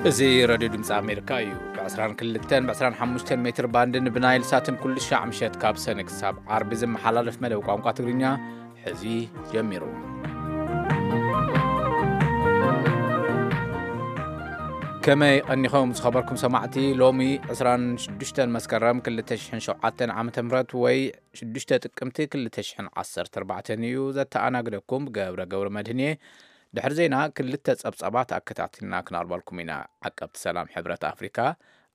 እዚ ሬድዮ ድምፂ ኣሜሪካ እዩ። ብ22 ብ25 ሜትር ባንድን ብናይል ሳትን ኩሉ ሻዕ ምሸት ካብ ሰነ ክሳብ ዓርቢ ዝመሓላለፍ መደብ ቋንቋ ትግርኛ ሕዚ ጀሚሩ። ከመይ ቀኒኹም ዝኸበርኩም ሰማዕቲ? ሎሚ 26 መስከረም 2007 ዓ.ም ወይ 6 ጥቅምቲ 2014 እዩ። ዘተኣናግደኩም ገብረ ገብረ መድህን እየ። ድሕሪ ዜና ክልተ ጸብጻባት ኣከታቲልና ክነቕርበልኩም ኢና። ዓቀብቲ ሰላም ሕብረት ኣፍሪካ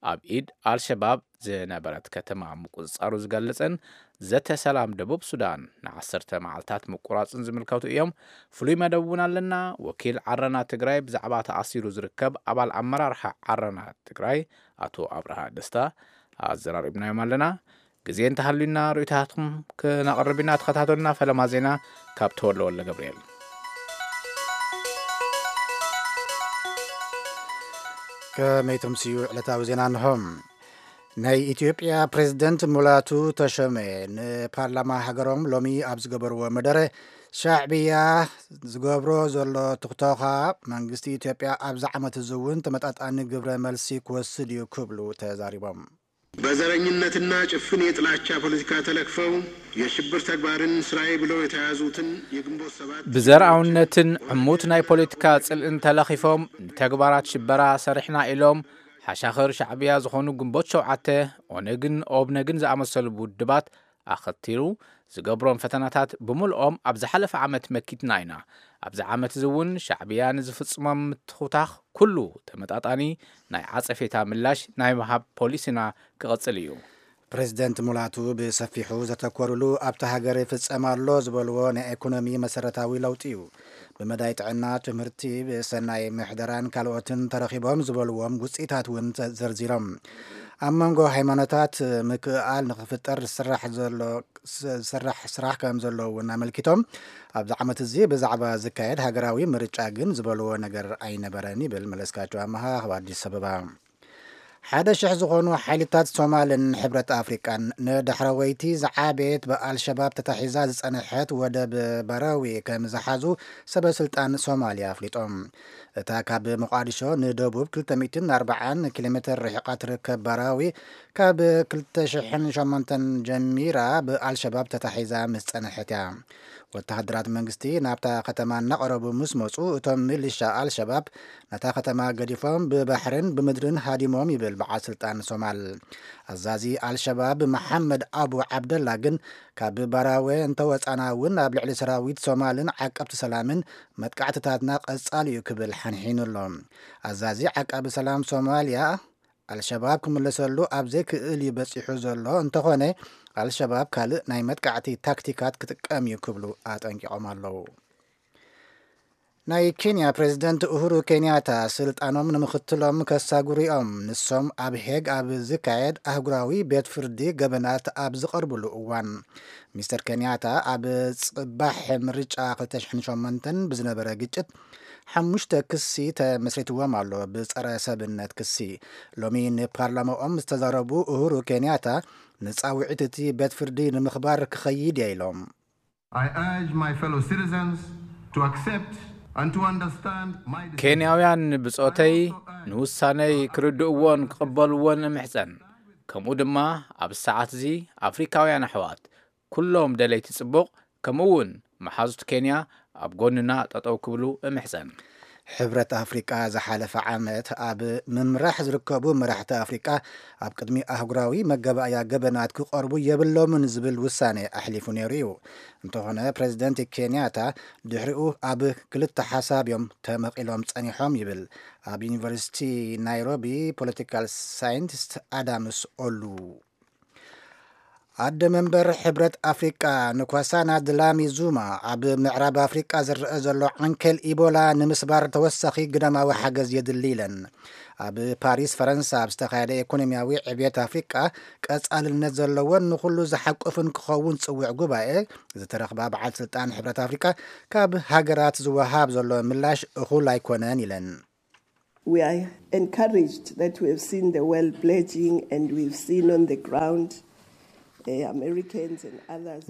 ኣብ ኢድ ኣልሸባብ ዝነበረት ከተማ ምቁጽጻሩ ዝገልጽን ዘተ ሰላም ደቡብ ሱዳን ንዓሰርተ መዓልታት ምቁራጽን ዝምልከቱ እዮም። ፍሉይ መደብ እውን ኣለና። ወኪል ዓረና ትግራይ ብዛዕባ ተኣሲሩ ዝርከብ ኣባል ኣመራርሓ ዓረና ትግራይ ኣቶ ኣብርሃ ደስታ ኣዘራሪብናዮም ኣለና። ግዜ እንተሃልዩና ርእይቶታትኩም ክነቕርብ ኢና። ተኸታተሉና። ፈለማ ዜና ካብ ተወልደ ወልደ ገብርኤል። ከመይ ተምስዩ ዕለታዊ ዜና እንሆ። ናይ ኢትዮጵያ ፕሬዝደንት ሙላቱ ተሾመ ንፓርላማ ሃገሮም ሎሚ ኣብ ዝገበርዎ መደረ፣ ሻዕብያ ዝገብሮ ዘሎ ትኽቶኻ መንግስቲ ኢትዮጵያ ኣብዚ ዓመት እዚ እውን ተመጣጣኒ ግብረ መልሲ ክወስድ እዩ ክብሉ ተዛሪቦም። በዘረኝነትና ጭፍን የጥላቻ ፖለቲካ ተለክፈው የሽብር ተግባርን ስራዬ ብለው የተያዙትን የግንቦት ሰባት ብዘርኣውነትን ዕሙት ናይ ፖለቲካ ጽልእን ተለኺፎም ንተግባራት ሽበራ ሰሪሕና ኢሎም ሓሻኽር ሻዕብያ ዝኾኑ ግንቦት ሸውዓተ፣ ኦነግን ኦብነግን ዝኣመሰሉ ውድባት ኣኸቲሉ ዝገብሮም ፈተናታት ብምልኦም ኣብ ዝሓለፈ ዓመት መኪትና ኢና። ኣብዚ ዓመት እዚ እውን ሻዕብያ ንዝፍጽሞም ምትኹታኽ ኩሉ ተመጣጣኒ ናይ ዓጸፌታ ምላሽ ናይ ምሃብ ፖሊሲና ክቕጽል እዩ። ፕሬዝደንት ሙላቱ ብሰፊሑ ዘተኮሩሉ ኣብታ ሃገር ይፍጸም ኣሎ ዝበልዎ ናይ ኢኮኖሚ መሰረታዊ ለውጢ እዩ። ብመዳይ ጥዕና፣ ትምህርቲ፣ ብሰናይ ምሕደራን ካልኦትን ተረኺቦም ዝበልዎም ውፅኢታት እውን ዘርዚሮም። ኣብ መንጎ ሃይማኖታት ምክእኣል ንክፍጠር ዝስራሕ ዘሎ ዝስራሕ ስራሕ ከም ዘሎ እውን ኣመልኪቶም፣ ኣብዚ ዓመት እዚ ብዛዕባ ዝካየድ ሃገራዊ ምርጫ ግን ዝበልዎ ነገር ኣይነበረን ይብል መለስካቸው ኣመሃ ካብ ኣዲስ ኣበባ። ሓደ ሽሕ ዝኾኑ ሓይልታት ሶማልን ሕብረት ኣፍሪቃን ንዳሕረወይቲ ዝዓበየት ብኣልሸባብ ተታሒዛ ዝጸንሐት ወደብ በረዊ ከም ዝሓዙ ሰበ ስልጣን ሶማልያ ኣፍሊጦም። እታ ካብ ሞቃዲሾ ንደቡብ 240 ኪሎ ሜትር ርሒቓ ትርከብ በራዊ ካብ 2008 ጀሚራ ብኣልሸባብ ተታሒዛ ምስ ጸንሐት እያ። ወተሃደራት መንግስቲ ናብታ ከተማ እናቐረቡ ምስ መጹ እቶም ሚሊሻ ኣልሸባብ ነታ ከተማ ገዲፎም ብባሕርን ብምድርን ሃዲሞም ይብል በዓል ስልጣን ሶማል። ኣዛዚ ኣልሸባብ መሓመድ ኣቡ ዓብደላ ግን ካብ ባራወ እንተወጻና እውን ኣብ ልዕሊ ሰራዊት ሶማልን ዓቀብቲ ሰላምን መጥቃዕትታትና ቀጻሊ እዩ ክብል ሓንሒኑ ኣሎ። ኣዛዚ ዓቃቢ ሰላም ሶማልያ ኣልሸባብ ክምለሰሉ ኣብ ዘይክእል እዩ በጺሑ ዘሎ፣ እንተኾነ ኣልሸባብ ካልእ ናይ መጥቃዕቲ ታክቲካት ክጥቀም እዩ ክብሉ ኣጠንቂቖም ኣለዉ። ናይ ኬንያ ፕሬዝደንት ኡሁሩ ኬንያታ ስልጣኖም ንምኽትሎም ከሳጉሩ እዮም። ንሶም ኣብ ሄግ ኣብ ዝካየድ ኣህጉራዊ ቤት ፍርዲ ገበናት ኣብ ዝቐርብሉ እዋን፣ ሚስተር ኬንያታ ኣብ ጽባሕ ምርጫ 2008 ብዝነበረ ግጭት ሓሙሽተ ክሲ ተመስሪትዎም ኣሎ፣ ብጸረ ሰብነት ክሲ። ሎሚ ንፓርላማኦም ዝተዛረቡ ኡሁሩ ኬንያታ ንጻውዒት እቲ ቤት ፍርዲ ንምኽባር ክኸይድ እየ ኢሎም። I urge my fellow citizens to accept and to understand my decision. ኬንያውያን ብጾተይ ንውሳነይ ክርድእዎን ክቕበልዎን እምሕጸን። ከምኡ ድማ ኣብ ሰዓት እዚ ኣፍሪካውያን ኣሕዋት ኩሎም ደለይቲ ጽቡቕ ከምኡ እውን መሓዙት ኬንያ ኣብ ጎንና ጠጠው ክብሉ እምሕጸን። ሕብረት ኣፍሪቃ ዝሓለፈ ዓመት ኣብ ምምራሕ ዝርከቡ መራሕቲ ኣፍሪቃ ኣብ ቅድሚ ኣህጉራዊ መገባእያ ገበናት ክቐርቡ የብሎምን ዝብል ውሳኔ ኣሕሊፉ ነይሩ እዩ። እንተኾነ ፕሬዚደንት ኬንያታ ድሕሪኡ ኣብ ክልተ ሓሳብ እዮም ተመቒሎም ጸኒሖም ይብል ኣብ ዩኒቨርሲቲ ናይሮቢ ፖለቲካል ሳይንቲስት ኣዳምስ ኦሉ። ኣደ መንበር ሕብረት ኣፍሪቃ ንኳሳና ድላሚ ዙማ ኣብ ምዕራብ ኣፍሪቃ ዝረአ ዘሎ ዓንኬል ኢቦላ ንምስባር ተወሳኺ ግዳማዊ ሓገዝ የድሊ ኢለን። ኣብ ፓሪስ ፈረንሳ ኣብ ዝተኻየደ ኢኮኖሚያዊ ዕብየት ኣፍሪቃ ቀጻልነት ዘለዎን ንኹሉ ዝሓቁፍን ክኸውን ዝጽውዕ ጉባኤ ዝተረኽባ በዓል ስልጣን ሕብረት ኣፍሪቃ ካብ ሃገራት ዝወሃብ ዘሎ ምላሽ እኹል ኣይኮነን ኢለን። We are encouraged that we have seen the world pledging and we've seen on the ground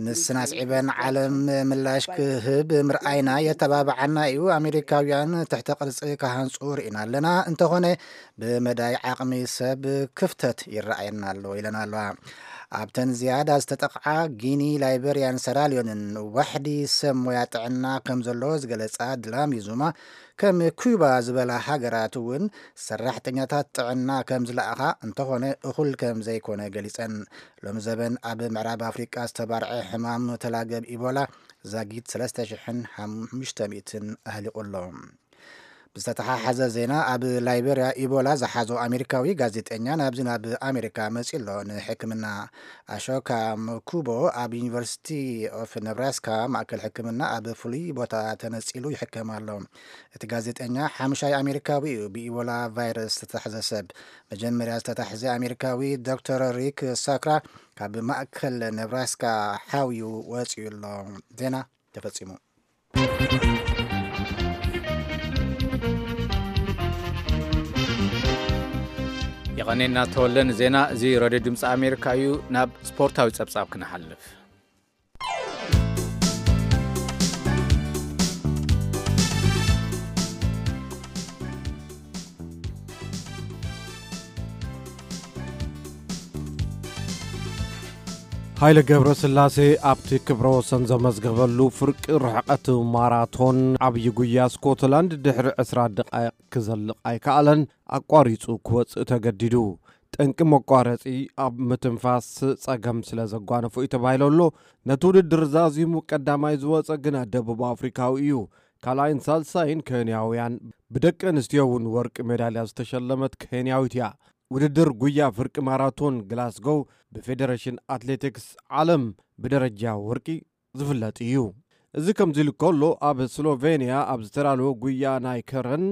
ንስን ኣስዒበን ዓለም ምላሽ ክህብ ምርኣይና የተባብዓና እዩ። ኣሜሪካውያን ትሕተ ቅርጺ ክሃንጹ ርኢና ኣለና። እንተኾነ ብመዳይ ዓቕሚ ሰብ ክፍተት ይረኣየና ኣሎ ኢለን ኣለዋ። ኣብተን ዝያዳ ዝተጠቕዓ ጊኒ፣ ላይበርያን ሰራልዮንን ዋሕዲ ሰብ ሞያ ጥዕና ከም ዘሎ ዝገለጻ ድላሚ ዙማ፣ ከም ኩባ ዝበላ ሃገራት እውን ሰራሕተኛታት ጥዕና ከም ዝለኣኻ፣ እንተኾነ እኹል ከም ዘይኮነ ገሊጸን። ሎሚ ዘበን ኣብ ምዕራብ ኣፍሪቃ ዝተባርዐ ሕማም ተላገብ ኢቦላ ዛጊት ሰለስተ ሽሕን ሓሙሽተ ሚእትን ኣህሊቑ ኣሎ። ብዝተተሓሓዘ ዜና፣ ኣብ ላይቤርያ ኢቦላ ዝሓዞ ኣሜሪካዊ ጋዜጠኛ ናብዚ ናብ ኣሜሪካ መጺኡ ኣሎ። ንሕክምና ኣሾካ መኩቦ ኣብ ዩኒቨርሲቲ ኦፍ ነብራስካ ማእከል ሕክምና ኣብ ፍሉይ ቦታ ተነጺሉ ይሕከም ኣሎ። እቲ ጋዜጠኛ ሓምሻይ ኣሜሪካዊ እዩ ብኢቦላ ቫይረስ ዝተታሕዘ ሰብ። መጀመርያ ዝተታሕዘ ኣሜሪካዊ ዶክተር ሪክ ሳክራ ካብ ማእከል ነብራስካ ሓውዩ ወጺኡ ኣሎ። ዜና ተፈጺሙ። የቐኔና ተወለ ንዜና። እዚ ሬድዮ ድምፂ ኣሜሪካ እዩ። ናብ ስፖርታዊ ጸብጻብ ክንሓልፍ። ሃይለ ገብረስላሴ ኣብቲ ክብረ ወሰን ዘመዝገበሉ ፍርቂ ርሕቀት ማራቶን ዓብዪ ጉያ ስኮትላንድ ድሕሪ ዕስራ ደቓይቕ ክዘልቕ ኣይከኣለን፣ ኣቋሪጹ ክወጽእ ተገዲዱ። ጠንቂ መቋረጺ ኣብ ምትንፋስ ጸገም ስለ ዘጓነፎ እዩ ተባሂሉ ኣሎ። ነቲ ውድድር ዛዚሙ ቀዳማይ ዝወጸ ግና ደቡብ ኣፍሪካዊ እዩ። ካልኣይን ሳልሳይን ኬንያውያን፣ ብደቂ ኣንስትዮ እውን ወርቂ ሜዳልያ ዝተሸለመት ኬንያዊት እያ። ውድድር ጉያ ፍርቂ ማራቶን ግላስጎው ብፌደሬሽን ኣትሌቲክስ ዓለም ብደረጃ ወርቂ ዝፍለጥ እዩ። እዚ ከምዚ ኢሉ ከሎ፣ ኣብ ስሎቬንያ ኣብ ዝተዳለወ ጉያ ናይ ከረን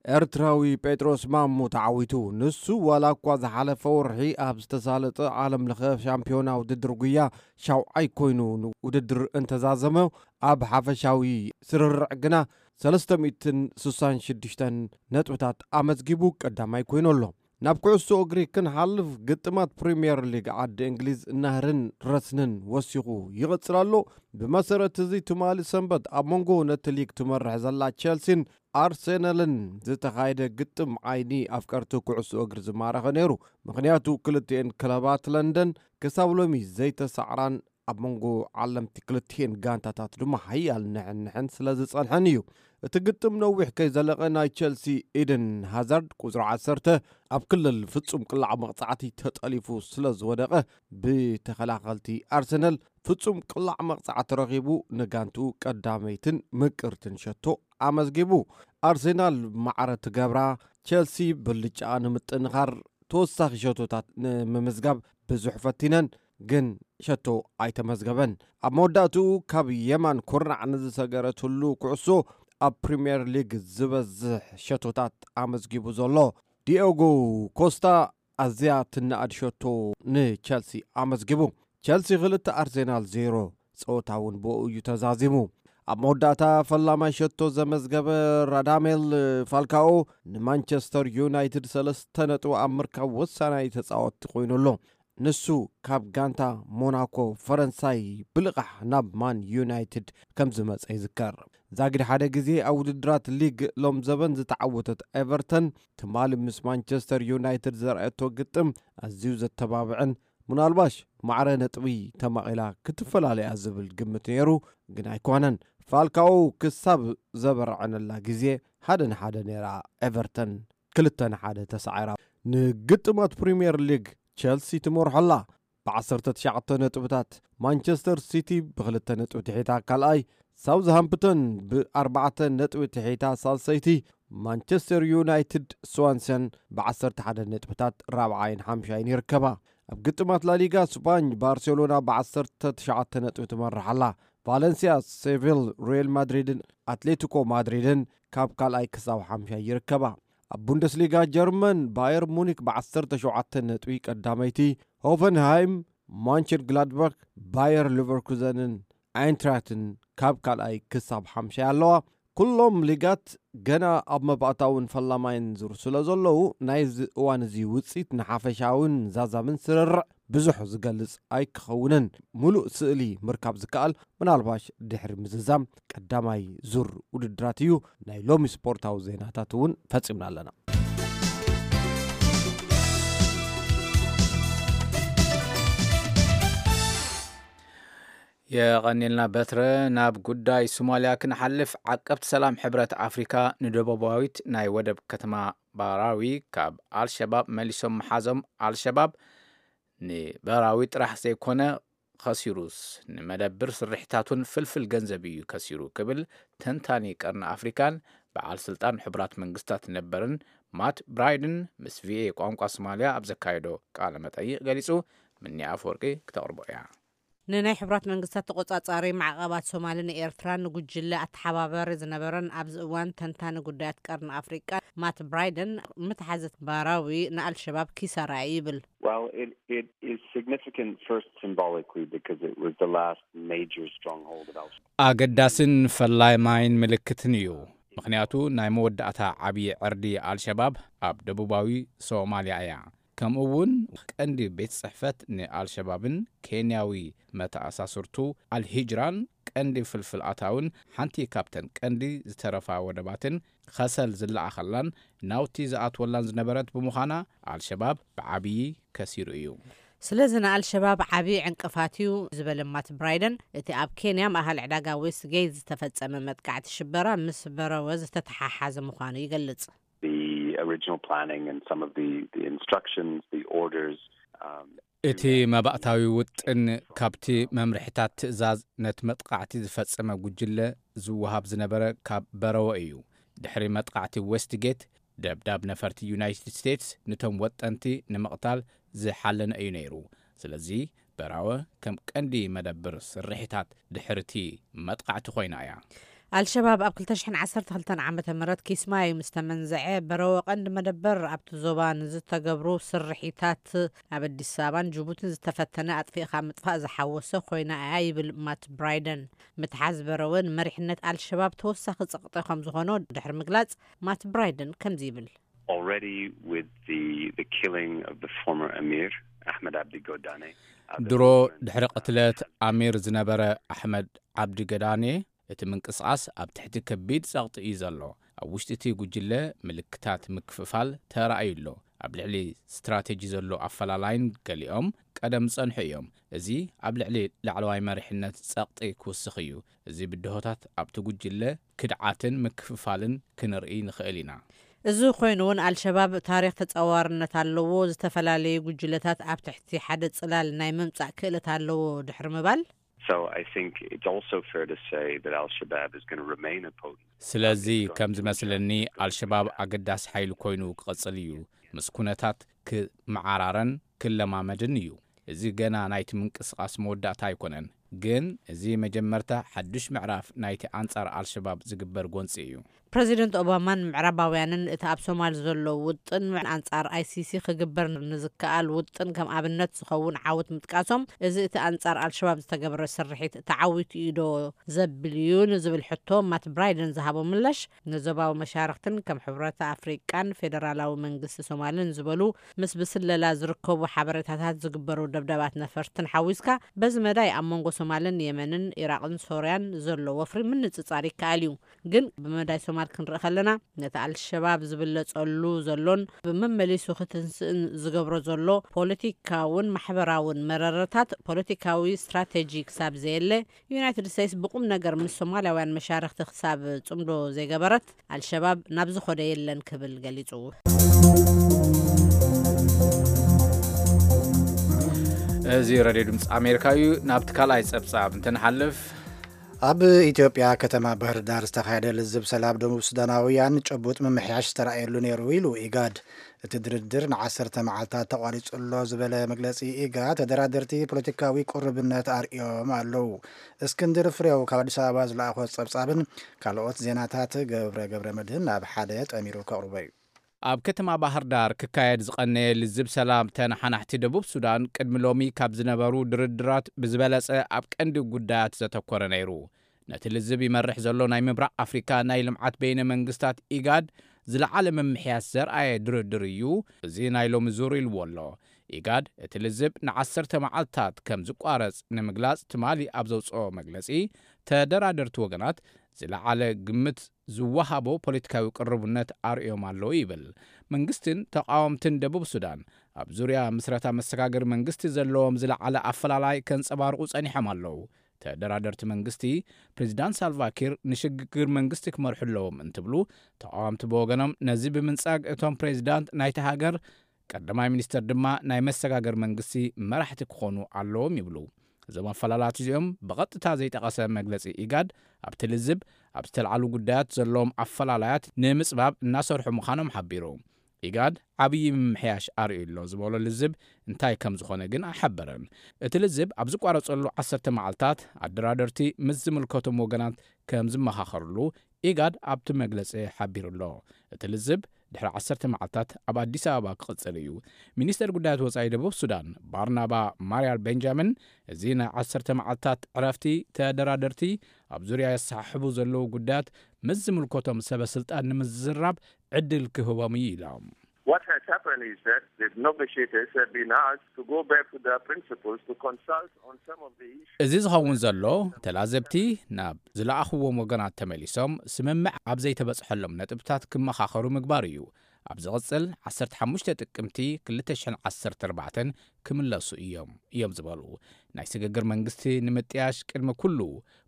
ኤርትራዊ ጴጥሮስ ማሞ ተዓዊቱ። ንሱ ዋላ እኳ ዝሓለፈ ወርሒ ኣብ ዝተሳለጠ ዓለም ለኸ ሻምፒዮና ውድድር ጉያ ሻውዓይ ኮይኑ ውድድር እንተዛዘመ፣ ኣብ ሓፈሻዊ ስርርዕ ግና ሰለስተ ሚእትን ስሳን ሽዱሽተን ነጥብታት ኣመዝጊቡ ቀዳማይ ኮይኑ ኣሎ። ናብ ኩዕሶ እግሪ ክንሓልፍ፣ ግጥማት ፕሪምየር ሊግ ዓዲ እንግሊዝ ናህርን ረስንን ወሲኹ ይቕጽል ኣሎ። ብመሰረት እዚ፣ ትማሊ ሰንበት ኣብ መንጎ ነቲ ሊግ ትመርሕ ዘላ ቸልሲን ኣርሴናልን ዝተኻየደ ግጥም ዓይኒ ኣፍቀርቲ ኩዕሶ እግሪ ዝማረኸ ነይሩ። ምኽንያቱ፣ ክልቲኤን ክለባት ለንደን ክሳብ ሎሚ ዘይተሳዕራን ኣብ መንጎ ዓለምቲ ክልቲኤን ጋንታታት ድማ ሓያል ንሕንሕን ስለ ዝጸንሐን እዩ። እቲ ግጥም ነዊሕ ከይዘለቐ፣ ናይ ቸልሲ ኢድን ሃዛርድ፣ ቁጽሪ ዓሰርተ፣ ኣብ ክልል ፍጹም ቅላዕ መቕጻዕቲ ተጠሊፉ ስለ ዝወደቐ፣ ብተኸላኸልቲ ኣርሰናል ፍጹም ቅላዕ መቕጻዕቲ ረኺቡ ንጋንትኡ ቀዳመይትን ምቅርትን ሸቶ ኣመዝጊቡ። ኣርሰናል ማዕረ ትገብራ፣ ቸልሲ ብልጫኣ ንምጥንኻር ተወሳኺ ሸቶታት ንምምዝጋብ ብዙሕ ፈቲነን፣ ግን ሸቶ ኣይተመዝገበን። ኣብ መወዳእትኡ፣ ካብ የማን ኩርናዕ ንዝሰገረትሉ ኩዕሶ፣ ኣብ ፕሪምየር ሊግ ዝበዝሕ ሸቶታት ኣመዝጊቡ ዘሎ ዲዮጎ ኮስታ ኣዝያ ትነኣድ ሸቶ ንቸልሲ ኣመዝጊቡ። ቸልሲ ክልተ፣ ኣርሴናል ዜሮ። ጸወታ እውን ብኡ እዩ ተዛዚሙ። ኣብ መወዳእታ፣ ፈላማይ ሸቶ ዘመዝገበ ራዳሜል ፋልካኦ ንማንቸስተር ዩናይትድ ሰለስተ ነጥቢ ኣብ ምርካብ ወሳናይ ተጻወትቲ ኮይኑ ኣሎ። ንሱ ካብ ጋንታ ሞናኮ ፈረንሳይ ብልቓሕ ናብ ማን ዩናይትድ ከም ዝመጸ ይዝከር። ዛጊድ ሓደ ግዜ ኣብ ውድድራት ሊግ ሎም ዘበን ዝተዓወተት ኤቨርተን፣ ትማሊ ምስ ማንቸስተር ዩናይትድ ዘርኣየቶ ግጥም ኣዝዩ ዘተባብዕን፣ ምናልባሽ ማዕረ ነጥቢ ተማቒላ ክትፈላለያ ዝብል ግምት ነይሩ፣ ግን ኣይኮነን። ፋልካኦ ክሳብ ዘበርዐነላ ግዜ ሓደ ንሓደ ነይራ ኤቨርተን፣ ክልተ ንሓደ ተሳዒራ። ንግጥማት ፕሪምየር ሊግ፣ ቸልሲ ትመርሖ ኣላ ብዓሰርተ ትሽዓተ ነጥብታት፣ ማንቸስተር ሲቲ ብክልተ ነጥቢ ትሒታ ካልኣይ፣ ሳውዝሃምፕተን ብኣርባዕተ ነጥቢ ትሒታ ሳልሰይቲ፣ ማንቸስተር ዩናይትድ፣ ስዋንሰን ብዓሰርተ ሓደ ነጥብታት ራብዓይን ሓምሻይን ይርከባ። ኣብ ግጥማት ላሊጋ ስፓኝ፣ ባርሴሎና ብዓሰርተ ትሽዓተ ነጥቢ ትመርሕ ኣላ። ቫለንሲያ፣ ሴቪል፣ ሪያል ማድሪድን ኣትሌቲኮ ማድሪድን ካብ ካልኣይ ክሳብ ሓምሻይ ይርከባ። ኣብ ቡንደስሊጋ ጀርመን፣ ባየር ሙኒክ ብዓሰርተ ሸውዓተ ነጥቢ ቀዳመይቲ፣ ሆፈንሃይም፣ ማንቸን ግላድባክ፣ ባየር ሊቨርኩዘንን ኣይንትራክትን ካብ ካልኣይ ክሳብ ሓምሻይ ኣለዋ። ኩሎም ሊጋት ገና ኣብ መባእታውን ፈላማይን ዙር ስለ ዘለዉ፣ ናይዚ እዋን እዚ ውጽኢት ንሓፈሻውን ዛዛምን ስርርዕ ብዙሕ ዝገልጽ ኣይክኸውንን። ምሉእ ስእሊ ምርካብ ዝከኣል ምናልባሽ ድሕሪ ምዝዛም ቀዳማይ ዙር ውድድራት እዩ። ናይ ሎሚ ስፖርታዊ ዜናታት እውን ፈጺምና ኣለና። የቐኒልና በትረ። ናብ ጉዳይ ሶማልያ ክንሓልፍ፣ ዓቀብቲ ሰላም ሕብረት ኣፍሪካ ንደቡባዊት ናይ ወደብ ከተማ ባራዊ ካብ ኣልሸባብ መሊሶም ምሓዞም፣ ኣልሸባብ ንበራዊ ጥራሕ ዘይኮነ ከሲሩስ፣ ንመደብር ስርሒታቱን ፍልፍል ገንዘብ እዩ ከሲሩ ክብል ተንታኒ ቀርኒ ኣፍሪካን በዓል ስልጣን ሕቡራት መንግስታት ነበርን ማት ብራይድን ምስ ቪኦኤ ቋንቋ ሶማልያ ኣብ ዘካየዶ ቃለ መጠይቕ ገሊጹ። ምኒ ኣፈወርቂ ክተቕርቦ እያ። ንናይ ሕቡራት መንግስታት ተቆጻጻሪ ማዕቐባት ሶማሊ ንኤርትራን ንጉጅለ ኣተሓባባሪ ዝነበረን ኣብዚ እዋን ተንታኒ ጉዳያት ቀርኒ ኣፍሪቃ ማት ብራይደን፣ ምትሓዘት ባራዊ ንኣልሸባብ ኪሳራ እዩ ይብል። Well, it, it is significant first symbolically because it was the last major stronghold of Al-Shabaab. ኣገዳስን ፈላይ ማይን ምልክትን እዩ። ምኽንያቱ ናይ መወዳእታ ዓብዪ ዕርዲ ኣልሸባብ ኣብ ደቡባዊ ሶማልያ እያ። ከምኡ እውን ቀንዲ ቤት ጽሕፈት ንኣልሸባብን ኬንያዊ መተኣሳስርቱ ኣልሂጅራን ቀንዲ ፍልፍል ኣታውን ሓንቲ ካብተን ቀንዲ ዝተረፋ ወደባትን ከሰል ዝለኣኸላን ናውቲ ዝኣትወላን ዝነበረት ብምዃና ኣልሸባብ ብዓብዪ ከሲሩ እዩ። ስለዚ ንኣልሸባብ ዓብዪ ዕንቅፋት እዩ ዝበለ ማት ብራይደን፣ እቲ ኣብ ኬንያ ማእኸል ዕዳጋ ዌስትጌት ዝተፈጸመ መጥቃዕቲ ሽበራ ምስ በረወ ዝተተሓሓዘ ምዃኑ ይገልጽ። The original planning and some of the, the instructions, the orders, um, እቲ መባእታዊ ውጥን ካብቲ መምርሒታት ትእዛዝ ነቲ መጥቃዕቲ ዝፈጸመ ጉጅለ ዝወሃብ ዝነበረ ካብ በረወ እዩ። ድሕሪ መጥቃዕቲ ዌስትጌት፣ ደብዳብ ነፈርቲ ዩናይትድ ስቴትስ ንቶም ወጠንቲ ንምቕታል ዝሓለነ እዩ ነይሩ። ስለዚ በራወ ከም ቀንዲ መደብር ስርሒታት ድሕርቲ መጥቃዕቲ ኮይና እያ። ኣልሸባብ ኣብ ክልተ ሽሕን ዓሰርተ ክልተን ዓመተ ምህረት ኪስማዩ ምስ ተመንዘዐ፣ በረወ ቀንዲ መደበር ኣብቲ ዞባ ንዝተገብሩ ስርሒታት ኣብ ኣዲስ ኣበባን ጅቡትን ዝተፈተነ ኣጥፊእኻ ምጥፋእ ዝሓወሰ ኮይና እያ ይብል ማት ብራይደን። ምትሓዝ በረወ ንመሪሕነት ኣልሸባብ ተወሳኺ ጸቕጢ ከም ዝኾኖ ድሕሪ ምግላጽ፣ ማት ብራይደን ከምዚ ይብል። Already with the, the killing of the former emir, Ahmed Abdi Godane, uh, the ድሮ movement, ድሕሪ uh, ቅትለት ኣሚር ዝነበረ ኣሕመድ ዓብዲ ገዳኔ፣ እቲ ምንቅስቓስ ኣብ ትሕቲ ከቢድ ጸቕጢ እዩ ዘሎ። ኣብ ውሽጢ እቲ ጉጅለ ምልክታት ምክፍፋል ተራእዩ ኣሎ። ኣብ ልዕሊ ስትራቴጂ ዘሎ ኣፈላላይን ገሊኦም ቀደም ዝጸንሑ እዮም። እዚ ኣብ ልዕሊ ላዕለዋይ መሪሕነት ጸቕጢ ክውስኽ እዩ። እዚ ብድሆታት ኣብቲ ጉጅለ ክድዓትን ምክፍፋልን ክንርኢ ንኽእል ኢና። እዚ ኮይኑ እውን ኣልሸባብ ታሪኽ ተጻዋርነት ኣለዎ። ዝተፈላለዩ ጉጅለታት ኣብ ትሕቲ ሓደ ጽላል ናይ ምምጻእ ክእለት ኣለዎ ድሕሪ ምባል። So I think it's also fair to say that Al-Shabaab is gonna remain a potent ስለዚ ከም ዝመስለኒ ኣልሸባብ ኣገዳሲ ሓይሊ ኮይኑ ክቕጽል እዩ። ምስ ኩነታት ክመዓራረን ክለማመድን እዩ። እዚ ገና ናይቲ ምንቅስቓስ መወዳእታ ኣይኮነን፣ ግን እዚ መጀመርታ ሓድሽ ምዕራፍ ናይቲ ኣንጻር ኣልሸባብ ዝግበር ጎንጺ እዩ። ፕረዚደንት ኦባማን ምዕራባውያንን እቲ ኣብ ሶማል ዘሎ ውጥን ኣንጻር ኣይሲሲ ክግበር ንዝከኣል ውጥን ከም ኣብነት ዝኸውን ዓወት ምጥቃሶም፣ እዚ እቲ ኣንጻር ኣልሸባብ ዝተገብረ ስርሒት ተዓዊቱ እዩ ዶ ዘብል እዩ ንዝብል ሕቶ ማት ብራይደን ዝሃቦ ምላሽ፣ ንዞባዊ መሻርኽትን ከም ሕብረት ኣፍሪቃን ፌደራላዊ መንግስቲ ሶማልን ዝበሉ ምስ ብስለላ ዝርከቡ ሓበሬታታት ዝግበሩ ደብዳባት ነፈርትን ሓዊስካ፣ በዚ መዳይ ኣብ መንጎ ሶማልን የመንን ኢራቕን ሶርያን ዘሎ ወፍሪ ምንጽጻር ይከኣል እዩ። ግን ብመዳይ ሶማል ክንርኢ ከለና፣ ነቲ ኣልሸባብ ዝብለጸሉ ዘሎን ብመመሊሱ ክትንስእን ዝገብሮ ዘሎ ፖለቲካውን ማሕበራውን መረረታት፣ ፖለቲካዊ ስትራቴጂ ክሳብ ዘየለ፣ ዩናይትድ ስቴትስ ብቁም ነገር ምስ ሶማልያውያን መሻርኽቲ ክሳብ ጽምዶ ዘይገበረት፣ ኣልሸባብ ናብ ዝኾደ የለን ክብል ገሊጹ። እዚ ሬድዮ ድምፂ ኣሜሪካ እዩ። ናብቲ ካልኣይ ጸብጻብ እንትንሓልፍ፣ ኣብ ኢትዮጵያ ከተማ ባህር ዳር ዝተኻየደ ልዝብ ሰላም ደቡብ ሱዳናውያን ጭቡጥ ምምሕያሽ ዝተራእየሉ ነይሩ ኢሉ ኢጋድ። እቲ ድርድር ንዓሰርተ መዓልታት ተቋሪጹ ኣሎ ዝበለ መግለጺ ኢጋድ፣ ተደራደርቲ ፖለቲካዊ ቁርብነት ኣርእዮም ኣለዉ። እስክንድር ፍሬው ካብ ኣዲስ ኣበባ ዝለኣኾ ጸብጻብን ካልኦት ዜናታት ገብረ ገብረ መድህን ናብ ሓደ ጠሚሩ ከቕርቦ እዩ። ኣብ ከተማ ባህር ዳር ክካየድ ዝቐነየ ልዝብ ሰላም ተነሓናሕቲ ደቡብ ሱዳን ቅድሚ ሎሚ ካብ ዝነበሩ ድርድራት ብዝበለጸ ኣብ ቀንዲ ጉዳያት ዘተኮረ ነይሩ። ነቲ ልዝብ ይመርሕ ዘሎ ናይ ምብራቕ ኣፍሪካ ናይ ልምዓት በይነ መንግስታት ኢጋድ ዝለዓለ ምምሕያስ ዘርኣየ ድርድር እዩ እዚ ናይ ሎሚ ዙር ኢልዎ ኣሎ። ኢጋድ እቲ ልዝብ ንዓሰርተ መዓልታት ከም ዝቋረጽ ንምግላጽ ትማሊ ኣብ ዘውጽኦ መግለጺ፣ ተደራደርቲ ወገናት ዝለዓለ ግምት ዝወሃቦ ፖለቲካዊ ቅርቡነት ኣርእዮም ኣለዉ ይብል። መንግስትን ተቃወምትን ደቡብ ሱዳን ኣብ ዙርያ ምስረታ መሰጋገሪ መንግስቲ ዘለዎም ዝለዓለ ኣፈላላይ ከንጸባርቑ ጸኒሖም ኣለዉ። ተደራደርቲ መንግስቲ፣ ፕሬዚዳንት ሳልቫኪር ንሽግግር መንግስቲ ክመርሑ ኣለዎም እንትብሉ፣ ተቃወምቲ ብወገኖም ነዚ ብምንጻግ እቶም ፕሬዚዳንት ናይቲ ሃገር ቀዳማይ ሚኒስተር ድማ ናይ መሰጋገር መንግስቲ መራሕቲ ክኾኑ ኣለዎም ይብሉ። እዞም ኣፈላላት እዚኦም ብቐጥታ ዘይጠቐሰ መግለጺ ኢጋድ፣ ኣብቲ ልዝብ ኣብ ዝተልዓሉ ጉዳያት ዘለዎም ኣፈላላያት ንምጽባብ እናሰርሑ ምዃኖም ሓቢሩ። ኢጋድ ዓብዪ ምምሕያሽ ኣርእዩ ኣሎ ዝበሎ ልዝብ እንታይ ከም ዝኾነ ግን ኣይሓበረን። እቲ ልዝብ ኣብ ዝቋረጸሉ ዓሰርተ መዓልታት ኣደራደርቲ ምስ ዝምልከቶም ወገናት ከም ዝመኻኸርሉ ኢጋድ ኣብቲ መግለጺ ሓቢሩ ኣሎ። እቲ ልዝብ ድሕሪ ዓሰርተ መዓልታት ኣብ ኣዲስ ኣበባ ክቕጽል እዩ። ሚኒስተር ጉዳያት ወጻኢ ደቡብ ሱዳን ባርናባ ማርያል ቤንጃሚን፣ እዚ ናይ ዓሰርተ መዓልታት ዕረፍቲ ተደራደርቲ ኣብ ዙርያ የሰሓሕቡ ዘለዉ ጉዳያት ምስ ዝምልከቶም ሰበ ስልጣን ንምዝራብ ዕድል ክህቦም እዩ ኢሎም። What has happened is that the negotiators have been asked to go back to their principals to consult on some of the issues. እዚ ዝኸውን ዘሎ፣ ተላዘብቲ ናብ ዝለኣኽዎም ወገናት ተመሊሶም ስምምዕ ኣብ ዘይተበጽሐሎም ነጥብታት ክመኻኸሩ ምግባር እዩ። ኣብ ዝቕጽል ዓሰርተ ሓሙሽተ ጥቅምቲ ክልተ ሽሕን ዓሰርተ ኣርባዕተን ክምለሱ እዮም እዮም ዝበሉ። ናይ ስግግር መንግስቲ ንምጥያሽ ቅድሚ ኩሉ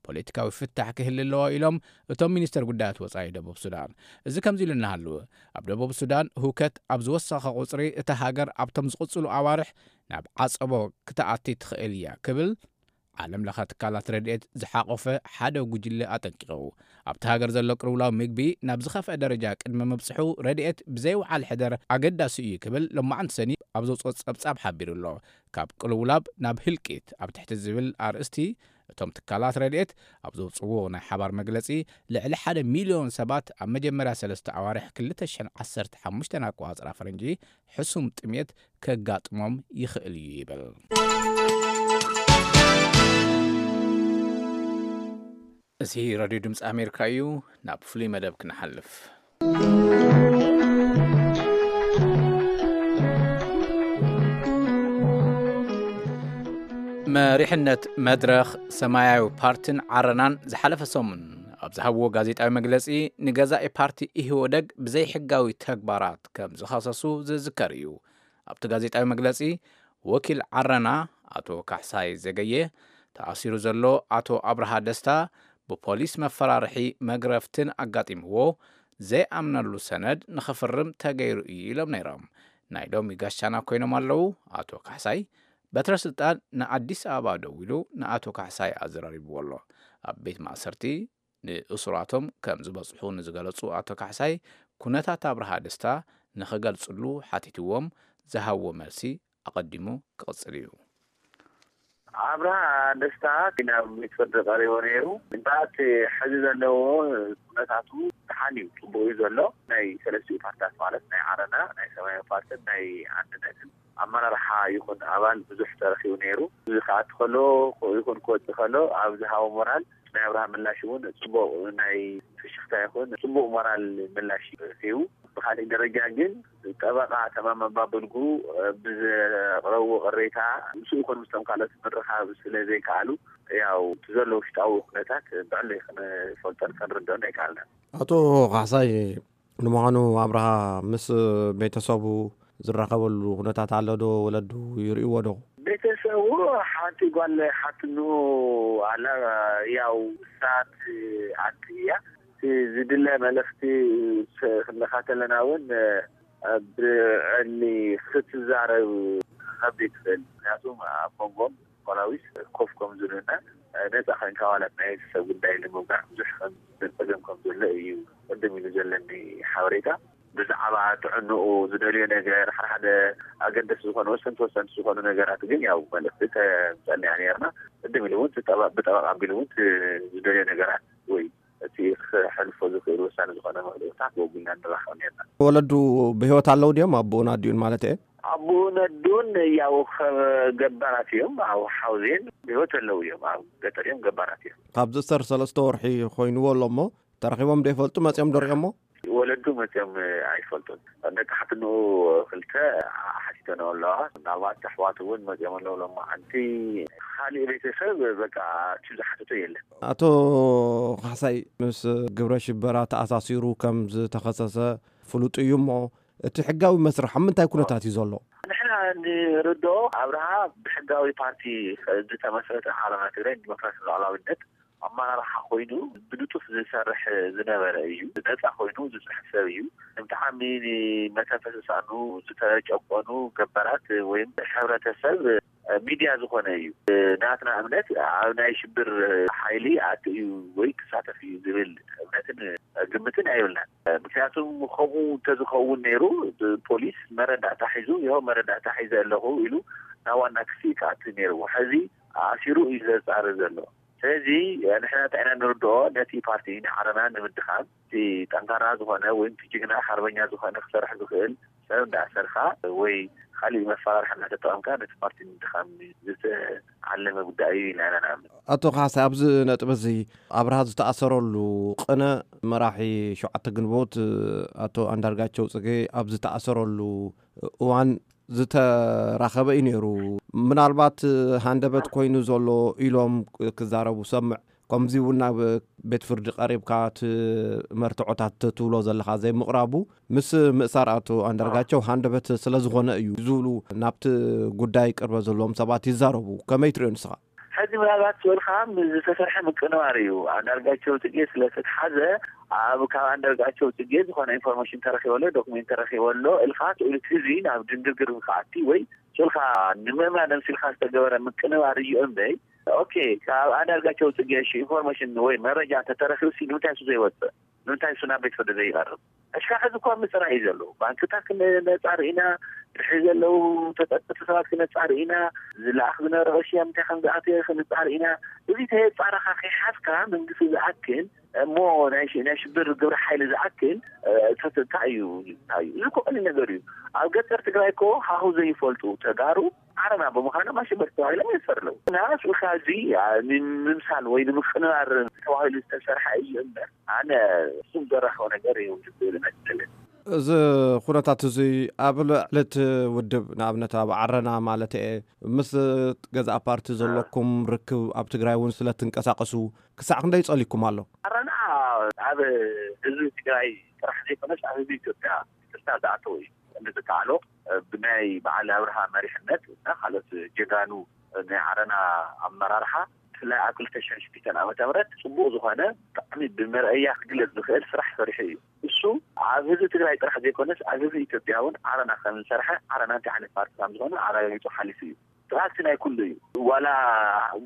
ፖለቲካዊ ፍታሕ ክህሊ ኣለዎ ኢሎም እቶም ሚኒስተር ጉዳያት ወጻኢ ደቡብ ሱዳን። እዚ ከምዚ ኢሉ እናሃለወ፣ ኣብ ደቡብ ሱዳን ህውከት ኣብ ዝወሰኸ ቁጽሪ እታ ሃገር ኣብቶም ዝቕጽሉ ኣዋርሕ ናብ ዓጸቦ ክትኣቲ ትኽእል እያ ክብል ዓለም ለኸ ትካላት ረድኤት ዝሓቆፈ ሓደ ጉጅለ ኣጠንቂቑ። ኣብቲ ሃገር ዘሎ ቅልውላው ምግቢ ናብ ዝኸፍአ ደረጃ ቅድሚ ምብጽሑ ረድኤት ብዘይወዓል ሕደር ኣገዳሲ እዩ ክብል ሎማዓንቲ ሰኒ ኣብ ዘውፅኦ ጸብጻብ ሓቢሩ ኣሎ። ካብ ቅልውላብ ናብ ህልቂት ኣብ ትሕቲ ዝብል ኣርእስቲ እቶም ትካላት ረድኤት ኣብ ዘውፅዎ ናይ ሓባር መግለጺ፣ ልዕሊ ሓደ ሚልዮን ሰባት ኣብ መጀመርያ ሰለስተ ኣዋርሕ ክልተ ሽሕን ዓሰርተ ሓሙሽተን ኣቆጻጽራ ፈረንጂ ሕሱም ጥሜት ከጋጥሞም ይኽእል እዩ ይብል። እዚ ሬድዮ ድምፂ ኣሜሪካ እዩ። ናብ ፍሉይ መደብ ክንሓልፍ። መሪሕነት መድረኽ፣ ሰማያዊ ፓርቲን ዓረናን ዝሓለፈ ሰሙን ኣብ ዝሃብዎ ጋዜጣዊ መግለጺ፣ ንገዛኢ ፓርቲ ኢህወደግ ብዘይሕጋዊ ተግባራት ከም ዝኸሰሱ ዝዝከር እዩ። ኣብቲ ጋዜጣዊ መግለጺ፣ ወኪል ዓረና ኣቶ ካሕሳይ ዘገየ፣ ተኣሲሩ ዘሎ ኣቶ ኣብርሃ ደስታ ብፖሊስ መፈራርሒ መግረፍትን ኣጋጢምዎ ዘይኣምነሉ ሰነድ ንኽፍርም ተገይሩ እዩ ኢሎም ነይሮም። ናይ ሎሚ ጋሻና ኮይኖም ኣለዉ ኣቶ ካሕሳይ። በትረ ስልጣን ንኣዲስ ኣበባ ደዊሉ ንኣቶ ካሕሳይ ኣዘራሪብዎ ኣሎ። ኣብ ቤት ማእሰርቲ ንእሱራቶም ከም ዝበጽሑ ንዝገለጹ ኣቶ ካሕሳይ፣ ኩነታት ኣብርሃ ደስታ ንኽገልጽሉ ሓቲትዎም ዝሃብዎ መልሲ ኣቐዲሙ ክቕጽል እዩ። ኣብርሃ ደስታ ናብ ቤት ፍርዲ ቀሪቡ ነይሩ። እምበኣር እቲ ሕዚ ዘለዎ ኩነታቱ ደሓን እዩ፣ ጽቡቕ እዩ ዘሎ። ናይ ሰለስቲኡ ፓርትታት ማለት ናይ ዓረና፣ ናይ ሰማያዊ ፓርትን ናይ ኣንድነትን ኣመራርሓ ይኹን ኣባል ብዙሕ ተረኺቡ ነይሩ። እዚ ክኣቱ ከሎ ይኹን ክወጽእ ከሎ ኣብ ዝሃቦ ሞራል ናይ ኣብርሃ ምላሽ እውን ጽቡቕ ናይ ፍሽኽታ ይኹን ጽቡቕ ሞራል ምላሽ እዩ ሂቡ። ብኻሊእ ደረጃ ግን ጠበቓ ተማም ኣባብልጉ ብዘቕረብዎ ቅሬታ ምስኡ ይኹን ምስቶም ካልኦት ምርኻብ ስለ ዘይከኣሉ ያው እቲ ዘሎ ውሽጣዊ ኩነታት ብዕሊ ክንፈልጦን ክንርድኦን ኣይከኣልናን። ኣቶ ካሕሳይ፣ ንምዃኑ ኣብርሃ ምስ ቤተሰቡ ዝራኸበሉ ኩነታት ኣሎ ዶ? ወለዱ ይርእይዎ ዶ? ቤተሰቡ ሓንቲ ጓል ሓትንኡ ኣላ፣ ያው ንሳ ትኣቲ እያ። እቲ ዝድለ መልእኽቲ ስ-፣ ክንልካ ከለና እውን፣ እ፣ ብዕሊ ክትዛረብ ከብድ ትኽእል። ምክንያቱ ኣብ መንጎም ፖላዊስ ኮፍ ከም ዝብሉና፣ እ፣ ነፃ ኮይንካ ዋላ ናይ ሰብ ጉዳይ ንምውጋዕ ብዙሕ ከም ዘጸገም ከም ዘሎ እዩ ቅድም ኢሉ ዘለኒ ሓበሬታ። ብዛዕባ ጥዕንኡ ዝደልዮ ነገር፣ ሓደ ሓደ ኣገደስቲ ዝኾኑ ወሰንቲ ወሰንቲ ዝኾኑ ነገራት ግን ያው መልእኽቲ ተምጸልና እያ ነይርና። ቅድም ኢሉ እውን እቲ ጠበ-፣ ብጠበቃ ኣቢሉ እውን እቲ ዝደልዮ ነገራት ወይ እቲ ክሕልፎ ዝኽእል ወሳኒ ዝኾነ መልእኽታት ወጉልና ንራኸብ ነርና። ወለዱ ብህይወት ኣለዉ ድዮም? ኣቦኡን ኣዲኡን ማለት እየ። ኣቦኡን ኣዲኡን ያው ከ-፣ ገባራት እዮም። ኣብ ሓውዜን ብህይወት ኣለዉ እዮም። ኣብ ገጠር እዮም፣ ገባራት እዮም። ካብዚ እሰር ሰለስተ ወርሒ ኮይንዎ ኣሎ እሞ ተረኺቦም ዶ ይፈልጡ? መጺኦም ዶ ሪኦሞ? ወለዱ መጺኦም ኣይፈልጡን። ደቂ ሓትንኡ ክልተ ሓቲተ ገንኦ ኣለዋ። ምናልባት ኣሕዋት እውን መፂኦም ኣለዉ። ሎማዓንቲ ካሊእ ቤተሰብ በቃ እቲ ዝሓተቶ የለን። ኣቶ ካሕሳይ፣ ምስ ግብረ ሽበራ ተኣሳሲሩ ከም ዝተኸሰሰ ፍሉጥ እዩ እሞ፣ እቲ ሕጋዊ መስርሕ ኣብ ምንታይ ኩነታት እዩ ዘሎ? ንሕና ንርድኦ ኣብርሃ ብሕጋዊ ፓርቲ ዝተመስረተ ዓረና ትግራይ ዲሞክራሲ ሉዓላዊነት ኣመራርሓ ኮይኑ ብንጡፍ ዝሰርሕ ዝነበረ እዩ። ነፃ ኮይኑ ዝፅሕፍ ሰብ እዩ። ብጣዕሚ ንመተንፈሲ ሳኑ ዝተጨቆኑ ገበራት ወይም ሕብረተሰብ ሚድያ ዝኾነ እዩ። ናትና እምነት ኣብ ናይ ሽብር ሓይሊ ኣቲ እዩ ወይ ክሳተፍ እዩ ዝብል እምነትን ግምትን ኣይብልናን። ምክንያቱም ከምኡ እንተዝኸውን ነይሩ ፖሊስ መረዳእታ ሒዙ ይኸው መረዳእታ ሒዘ ኣለኹ ኢሉ ናብ ዋና ክሲ ክኣቲ ነይርዎ። ሕዚ ኣሲሩ እዩ ዘፃሪ ዘሎ። ስለዚ ንሕና እንታይ ኢና ንርድኦ፣ ነቲ ፓርቲ ንዓረና ንምድኻም እቲ ጠንካራ ዝኾነ ወይ እቲ ጅግና ሓርበኛ ዝኾነ ክሰርሕ ዝኽእል ሰብ እንዳሰርካ ወይ ካሊእ መፈራርሒ እንዳተጠቐምካ ነቲ ፓርቲ ንምድኻም ዝተዓለመ ጉዳይ እዩ ኢልና ኢና ንኣምን። ኣቶ ካሕሳይ፣ ኣብዚ ነጥቢ እዚ ኣብርሃ ዝተኣሰረሉ ቅነ መራሒ ሸውዓተ ግንቦት ኣቶ ኣንዳርጋቸው ጽጌ ኣብ ዝተኣሰረሉ እዋን ዝተራኸበ እዩ ነይሩ። ምናልባት ሃንደበት ኮይኑ ዘሎ ኢሎም ክዛረቡ ሰምዕ። ከምዚ እውን ናብ ቤት ፍርዲ ቀሪብካ እቲ መርትዖታት ትብሎ ዘለኻ ዘይምቕራቡ ምስ ምእሳር ኣቶ ኣንዳርጋቸው ሃንደበት ስለ ዝኾነ እዩ ዝብሉ ናብቲ ጉዳይ ቅርበት ዘለዎም ሰባት ይዛረቡ። ከመይ ትሪኦ ንስኻ? ሕዚ ምናልባት ዝበልካ ዝተሰርሐ ምቅንባር እዩ። ኣንዳርጋቸው ጽጌ ስለተትሓዘ ኣብ ካብ ኣንዳርጋቸው ጽጌ ዝኾነ ኢንፎርሜሽን ተረኪበ ኣሎ፣ ዶክሜንት ተረኪበ ኣሎ እልካ ስእሉ ህዝቢ ናብ ድንግርግር ክኣቲ ወይ ስልካ ንምእማን ኣምሲልካ ዝተገበረ ምቅንባር እዩ እምበይ። ኦኬ፣ ካብ ኣንዳርጋቸው ጽጌ ኢንፎርሜሽን ወይ መረጃ እንተተረኪቡ ሲ ንምንታይ እሱ ዘይወፅእ? ንምንታይ እሱ ናብ ቤት ፍርዲ ዘይቀርብ? ኣሽካዕ ሕዚ እኳ ምፅራይ እዩ ዘሎ። ባንክታት ነፃ ርኢና፣ ድሕሪ ዘለዉ ተጠርጠርቲ ሰባት ክነፃ ርኢና፣ ዝለኣኽ ዝነበረ ቅርሺ ኣብ ምንታይ ከም ዝኣተየ ክንፃ ርኢና። እዚ ተየፃረኻ ከይሓዝካ መንግስቲ ዝኣክል እሞ ናይ ሽ- ናይ ሽብር ግብረ ሓይሊ ዝኣክል እ፣ ተተ- እንታይ እዩ እንታይ እዩ? እዚ እኮ ቀሊል ነገር እዩ። ኣብ ገጠር ትግራይ እኮ ሃሁ ዘይፈልጡ ተጋሩ ዓረና ብምዃኖም ኣሸበርቲ ተባሂሎም የስፈር ኣለዉ። እና ስልካ እዚ ኣ፣ ንምምሳል ወይ ንምቅንባር ተባሂሉ ዝተሰርሐ እዩ እምበር ኣነ እሱም ዘራኸው ነገር እዩ ዝብል መስለኝ። እዚ ኩነታት እዚ ኣብ ልዕሊ እቲ ውድብ፣ ንኣብነት ኣብ ዓረና ማለት እየ፣ ምስ ገዛእ ፓርቲ ዘለኩም ርክብ ኣብ ትግራይ እውን ስለ ትንቀሳቀሱ ክሳዕ ክንደይ ጸሊኩም ኣሎ? ዓረና ኣብ ህዝቢ ትግራይ ጥራሕ ዘይኮነስ ኣብ ህዝቢ ኢትዮጵያ ይቅርታ ዝኣተወ እዩ። እንዝከኣሎ ብናይ በዓል ኣብርሃ መሪሕነት እና ካልኦት ጀጋኑ ናይ ዓረና ኣመራርሓ ብፍላይ ኣብ ክልተ ሽሕን ሽዱሽተን ዓመተ ምህረት ጽቡቕ ዝኾነ ብጣዕሚ ብመርኣያ ክግለጽ ዝኽእል ስራሕ ሰሪሑ እዩ። እሱ ኣብ ህዝቢ ትግራይ ጥራሕ ዘይኮነስ ኣብ ህዝቢ ኢትዮጵያ እውን ዓረና ከም ዝሰርሐ ዓረና እንታይ ዓይነት ፓርቲ ከም ዝኾነ ኣረጋጊጹ ሓሊፉ እዩ። ስራሕቲ ናይ ኩሉ እዩ። ዋላ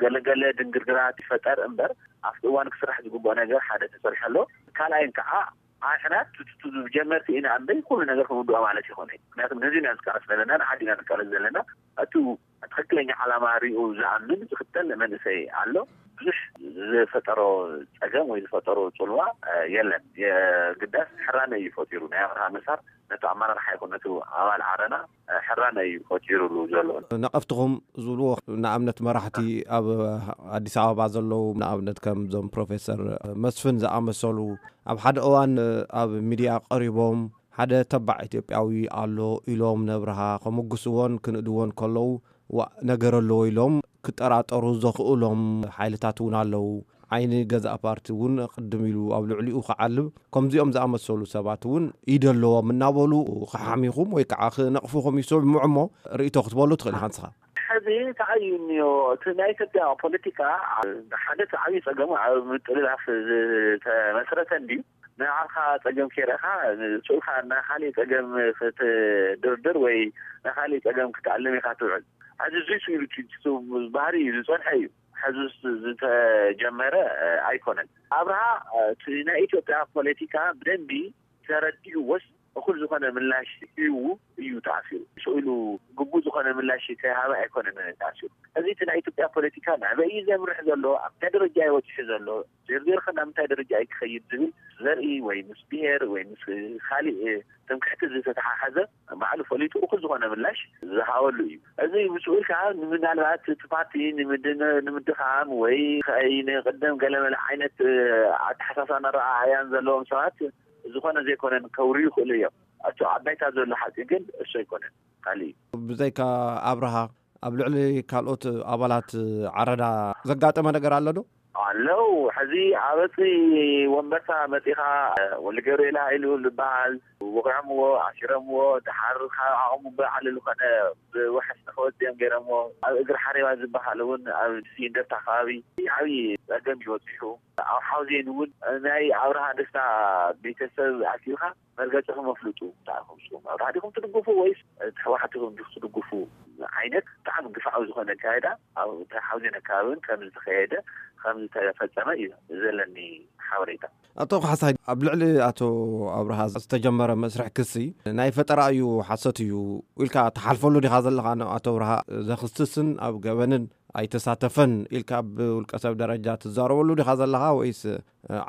ገለገለ ድንግርግራት ይፈጠር እምበር ኣብቲ እዋን ክስራሕ ዝግብኦ ነገር ሓደ ተሰሪሑ ኣሎ። ካልኣይን ከዓ ኣሕና ቱቱቱ ጀመርቲ ኢና እምበይ ኩሉ ነገር ክንውድኦ ማለት ይኮነ። ምክንያቱ ነዚ ኢና ዝቃለስ ዘለና፣ ንዓዲ ኢና ንቃለስ ዘለና። እቲ ትክክለኛ ዓላማ ሪኡ ዝኣምን ዝክተል መንእሰይ ኣሎ። ብዙሕ ዝፈጠሮ ፀገም ወይ ዝፈጠሮ ፅልዋ የለን። የግዳስ ሕራነ እዩ ፈጢሩ። ናይ ኣብርሃ መሳር ነቲ ኣመራርሓ ይኹን ነቲ ኣባል ዓረና ሕራነ እዩ ፈጢሩሉ ዘሎ። ነቐፍትኹም ዝብልዎ ንኣብነት መራሕቲ ኣብ ኣዲስ ኣበባ ዘለዉ ንኣብነት ከም ዞም ፕሮፌሰር መስፍን ዝኣመሰሉ ኣብ ሓደ እዋን ኣብ ሚድያ ቀሪቦም ሓደ ተባዕ ኢትዮጵያዊ ኣሎ ኢሎም ነብርሃ ከመጉስዎን ክንእድዎን ከለዉ ዋእ ነገር ኣለዎ ኢሎም ክጠራጠሩ ዘኽእሎም ሓይልታት እውን ኣለዉ። ዓይኒ ገዛእ ፓርቲ እውን ቅድም ኢሉ ኣብ ልዕሊኡ ክዓልብ ከምዚኦም ዝኣመሰሉ ሰባት እውን ኢድ ኣለዎም እናበሉ ክሓሚኹም ወይ ከዓ ክነቕፉኹም ይስምዑ እሞ ርእይቶ ክትበሉ ትኽእል ኢኻ ንስኻ። ሕዚ እንታይ እዩ እኒኦ እቲ ናይ ኢትዮጵያ ፖለቲካ ሓደ እቲ ዓብዪ ፀገሙ ኣብ ምጥልላፍ ዝተመስረተ እንድዩ። ንዓኻ ፀገም ከይረእኻ ስኡልካ ናይ ካሊእ ፀገም ክትድርድር ወይ ናይ ካሊእ ፀገም ክትኣልም ኢኻ ትውዕል። ሕዚ እዙይ ስኢሉ ባህሪ እዩ ዝፀንሐ እዩ። ሕዚ ዝተጀመረ ኣይኮነን። ኣብርሃ እቲ ናይ ኢትዮጵያ ፖለቲካ ብደንቢ ተረዲእዎስ እኹል ዝኾነ ምላሽ ሂቡ እዩ ተኣሲሩ። ስኢሉ ግቡእ ዝኾነ ምላሽ ከይሃበ ኣይኮነን ተኣሲሩ። እዚ እቲ ናይ ኢትዮጵያ ፖለቲካ ናበይ እዩ ዘምርሕ ዘሎ፣ ኣብ እንታይ ደረጃ እዩ በፂሑ ዘሎ፣ ዜርዜርካ ናብ ምንታይ ደረጃ እዩ ክኸይድ ዝብል ዘርኢ ወይ ምስ ብሄር ወይ ምስ ካሊእ ትምክሕቲ ዝተተሓሓዘ ባዕሉ ፈሊጡ እኹል ዝኾነ ምላሽ ዝሃበሉ እዩ። እዚ ምስኡ ኢልካ ምናልባት እቲ ፓርቲ ንምድ- ንምድኻም ወይ ከይ ንቅድም ገለመለ ዓይነት ኣተሓሳሳን ኣረኣእያን ዘለዎም ሰባት ዝኾነ ዘይኮነን ከውርዩ ይኽእሉ እዮም። እቲ ኣብ ባይታ ዘሎ ሓቂ ግን እሱ ኣይኮነን፣ ካሊእ እዩ። ብዘይካ ኣብርሃ ኣብ ልዕሊ ካልኦት ኣባላት ዓረና ዘጋጠመ ነገር ኣሎ ዶ? ኣለዉ። ሕዚ ኣበፂ ወንበርታ መፂኻ ወልገብርኤል ሃይሉ ዝበሃል ወቂዖምዎ፣ ኣሲሮምዎ። ድሓር ካብ ዓቕሙ ብላዕሊ ዝኾነ ብውሕስ ንክወፅኦም ገይሮምዎ። ኣብ እግሪ ሓሬባ ዝበሃል እውን ኣብ እንደርታ ከባቢ ዓብዪ ፀገም እዩ በፂሑ። ኣብ ሓውዜን እውን ናይ ኣብርሃ ደስታ ቤተሰብ ኣኪብካ መርገፂኹም ኣፍልጡ። እንታይ ኢኹም ንስኹም ኣብርሃ ዲኹም ትድግፉ ወይስ ህወሓት ኢኹም ትድግፉ ዓይነት ብጣዕሚ ግፍዓዊ ዝኾነ ኣካይዳ ኣብ ሓውዜን ኣካባቢ እውን ከም ዝተኸየደ ከም ዝተፈፀመ እዩ ዘለኒ ሓበሬታ። ኣቶ ካሕሳይ፣ ኣብ ልዕሊ ኣቶ ኣብርሃ ዝተጀመረ መስርሕ ክሲ ናይ ፈጠራ እዩ፣ ሓሰት እዩ ኢልካ ትሓልፈሉ ዲኻ ዘለኻ? ንኣቶ ኣብርሃ ዘኽስስን ኣብ ገበንን ኣይተሳተፈን ኢልካ ብውልቀ ሰብ ደረጃ ትዛረበሉ ዲኻ ዘለኻ? ወይስ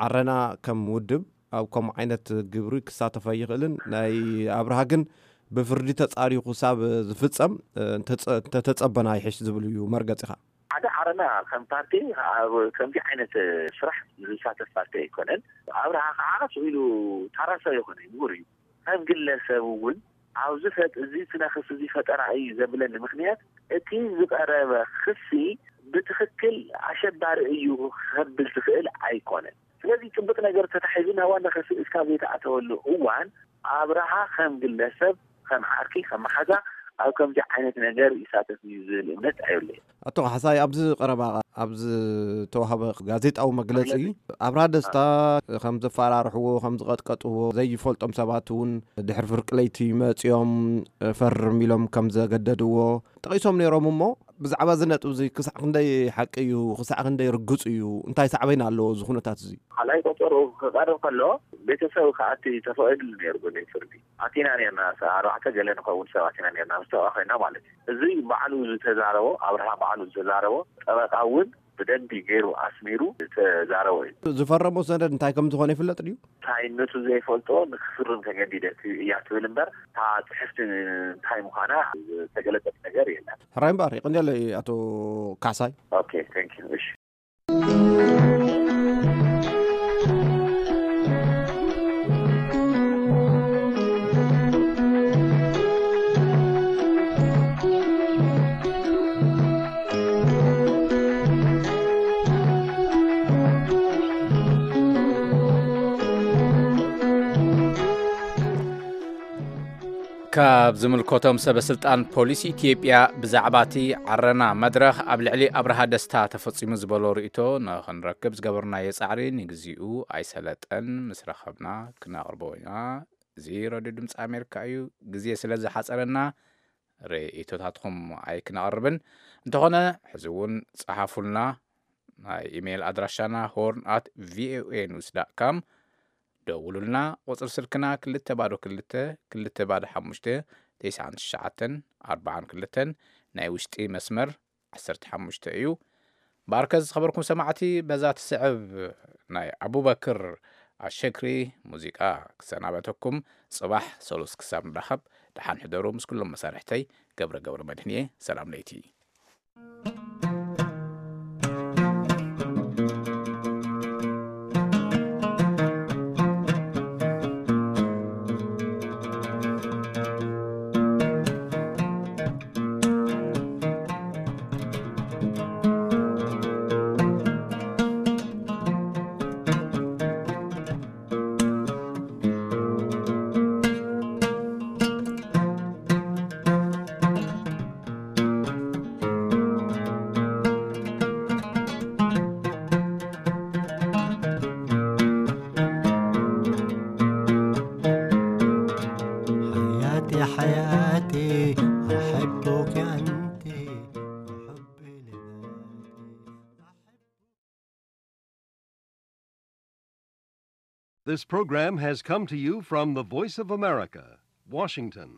ዓረና ከም ውድብ ኣብ ከምኡ ዓይነት ግብሪ ክሳተፍ ኣይኽእልን፣ ናይ ኣብርሃ ግን ብፍርዲ ተጻርዩ ክሳብ ዝፍጸም እንተጸ-፣ እንተተጸበና ይሕሽ ዝብል እዩ መርገጺኻ? ሓደ ዓረና ከም ፓርቲ ኣብ ከምዚ ዓይነት ስራሕ ዝሳተፍ ፓርቲ ኣይኮነን። ኣብርሃ ከዓ ስቕ ኢሉ ታራ ሰብ ኣይኮነን፣ ምሁር እዩ። ከም ግለሰብ እውን ኣብዚ ፈጥ-፣ እዚ ስነ ክሲ እዚ ፈጠራ እዩ ዘብለኒ ምኽንያት እቲ ዝቐረበ ክሲ ብትኽክል ኣሸባሪ እዩ ከብል ዝኽእል ኣይኮነን። ስለዚ ጽቡቕ ነገር ተታሒዙ ናብ ዋና ክሲ እስካብ ዘይተኣተወሉ እዋን ኣብርሃ ከም ግለሰብ፣ ከም ዓርኪ፣ ከም መሓዛ ኣብ ከምዚ ዓይነት ነገር ይሳተፍ እዩ ዝብል እምነት ኣይብለይን። ኣቶ ካሕሳይ፣ ኣብዚ ቀረባ ኣብ ዝተዋህበ ጋዜጣዊ መግለጺ ኣብርሃ ደስታ ከም ዘፈራርሕዎ፣ ከም ዝቐጥቀጥዎ፣ ዘይፈልጦም ሰባት እውን ድሕሪ ፍርቂ ለይቲ መጺኦም ፈርም ኢሎም ከም ዘገደድዎ ጠቒሶም ነይሮም። እሞ ብዛዕባ እዚ ነጥቢ እዚ ክሳዕ ክንደይ ሓቂ እዩ፣ ክሳዕ ክንደይ ርግጽ እዩ፣ እንታይ ሳዕቤን ኣለዎ እዚ ኩነታት እዚ? ካልኣይ ቆጸሩ ክቐርብ ከሎ ቤተሰብ ክኣቲ ተፈቒዱሉ ነይሩ ብናይ ፍርዲ። ኣቲና ነርና፣ ኣርባዕተ ገለ ንኸውን ሰባት ኢና ነርና፣ ምስ ጠበቓ ኮይና ማለት እዩ። እዚ ባዕሉ ዝተዛረቦ፣ ኣብርሃ ባዕሉ ዝተዛረቦ፣ ጠበቓ እውን ብደንቢ ገይሩ ኣስሚሩ ዝተዛረቦ እዩ። ዝፈረሞ ሰነድ እንታይ ከም ዝኾነ ይፍለጥ ድዩ? እንታይነቱ ዘይፈልጦ ንክፍርም ተገዲደ እያ ትብል እምበር፣ እታ ጽሕፍቲ እንታይ ምዃና ዝተገለጸት ነገር የለን። ሕራይ እምበር፣ ይቕንየለይ ኣቶ ካሕሳይ። ኦኬ፣ thank you። እሺ። ካብ ዝምልከቶም ሰበ ስልጣን ፖሊስ ኢትዮጵያ ብዛዕባ እቲ ዓረና መድረኽ ኣብ ልዕሊ ኣብርሃ ደስታ ተፈጺሙ ዝበሎ ርእይቶ ንኽንረክብ ዝገበርናዮ ጻዕሪ ንግዚኡ ኣይሰለጠን። ምስ ረኸብና ክነቕርቦ ኢና። እዚ ሬድዮ ድምፂ ኣሜሪካ እዩ። ግዜ ስለ ዝሓጸረና ርእይቶታትኩም ኣይክነቕርብን። እንተኾነ ሕዚ እውን ጸሓፉልና። ናይ ኢሜይል ኣድራሻና ሆርን ኣት ቪኦኤ ኒውስ ዳት ካም። ደውሉልና። ቁጽሪ ስልክና ክልተ ባዶ ክልተ፣ ክልተ ባዶ ሓሙሽተ፣ ተስዓን ትሽዓተን ኣርባዓን ክልተን፣ ናይ ውሽጢ መስመር ዓሰርተ ሓሙሽተ እዩ። ብኣርከ ዝኸበርኩም ሰማዕቲ፣ በዛ ትስዕብ ናይ ኣቡበክር ኣሸክሪ ሙዚቃ ክሰናበተኩም። ጽባሕ ሰሉስ ክሳብ ንራኸብ፣ ደሓን ሕደሩ። ምስ ኩሎም መሳርሕተይ ገብረ ገብረ መድህን እየ። ሰላም ለይቲ። حياتي حياتي، أحبك أنت وحبي لذاتي. This program has come to you from the Voice of America, Washington.